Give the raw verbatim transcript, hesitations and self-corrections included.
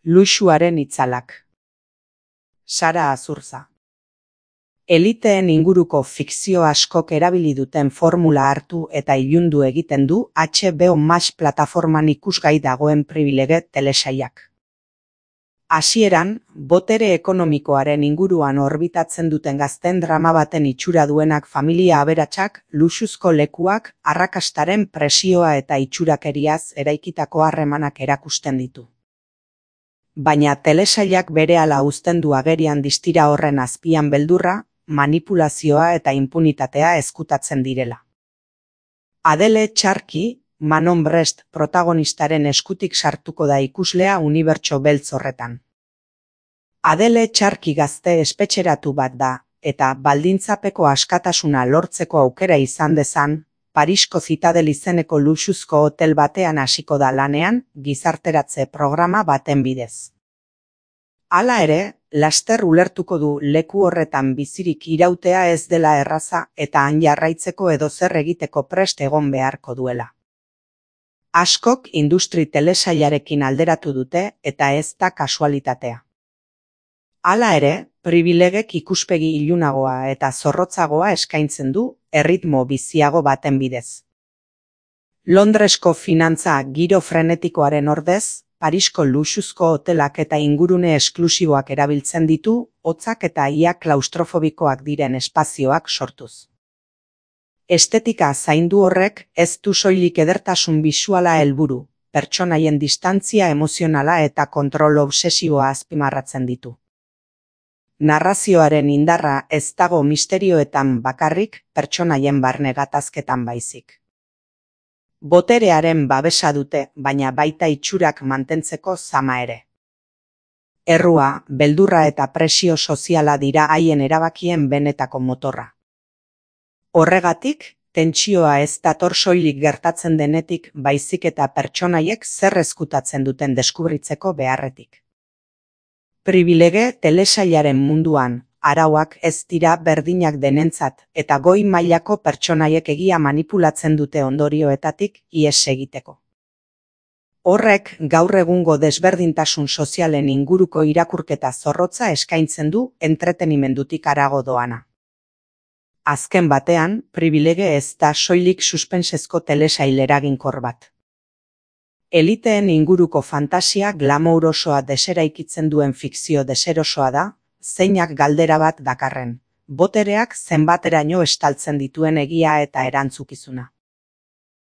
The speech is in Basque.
Luxuaren itzalak. Sara Azurza. Eliteen inguruko fikzio askok erabili duten formula hartu eta ilundu egiten du H B O Max plataforman ikusgai dagoen pribilege telesailak. Hasieran, botere ekonomikoaren inguruan orbitatzen duten gazten drama baten itxura duenak familia aberatsak, luxuzko lekuak, arrakastaren presioa eta itxurakeriaz eraikitako harremanak erakusten ditu. Baina telesailak berehala uzten du agerian distira horren azpian beldurra, manipulazioa eta inpunitatea ezkutatzen direla. Adele Txarki, Manon Brest protagonistaren eskutik sartuko da ikuslea unibertso beltz horretan. Adele Txarki gazte espetxeratu bat da, eta baldintzapeko askatasuna lortzeko aukera izan dezan, Parisko Zitadel izeneko luxuzko hotel batean hasiko da lanean, gizarteratze programa baten bidez. Hala ere, laster ulertuko du leku horretan bizirik irautea ez dela erraza eta han jarraitzeko edozer egiteko prest egon beharko duela. Askok industri telesailarekin alderatu dute eta ez da kasualitatea. Hala ere, pribilegek ikuspegi ilunagoa eta zorrotzagoa eskaintzen du, erritmo biziago baten bidez. Londresko finantza giro frenetikoaren ordez, Parisko luxuzko hotelak eta ingurune esklusiboak erabiltzen ditu, hotzak eta ia klaustrofobikoak diren espazioak sortuz. Estetika zaindu horrek ez du soilik edertasun bisuala helburu, pertsonaien distantzia emozionala eta kontrol obsesiboa azpimarratzen ditu. Narrazioaren indarra ez dago misterioetan bakarrik, pertsonaien barne gatazketan baizik. Boterearen babesa dute, baina baita itxurak mantentzeko zama ere. Errua, beldurra eta presio soziala dira haien erabakien benetako motorra. Horregatik, tentsioa ez dator soilik gertatzen denetik baizik eta pertsonaiek zer ezkutatzen duten deskubritzeko beharretik. Pribilege telesailaren munduan, arauak ez dira berdinak denentzat eta goi mailako pertsonaiek egia manipulatzen dute ondorioetatik ihes egiteko. Horrek gaur egungo desberdintasun sozialen inguruko irakurketa zorrotza eskaintzen du entretenimendutik harago doana. Azken batean, pribilege ez da soilik suspensezko telesail eraginkor bat. Eliteen inguruko fantasia glamourosoa deseraikitzen duen fikzio deserosoa da, zeinak galdera bat dakarren, botereak zenbateraino estaltzen dituen egia eta erantzukizuna.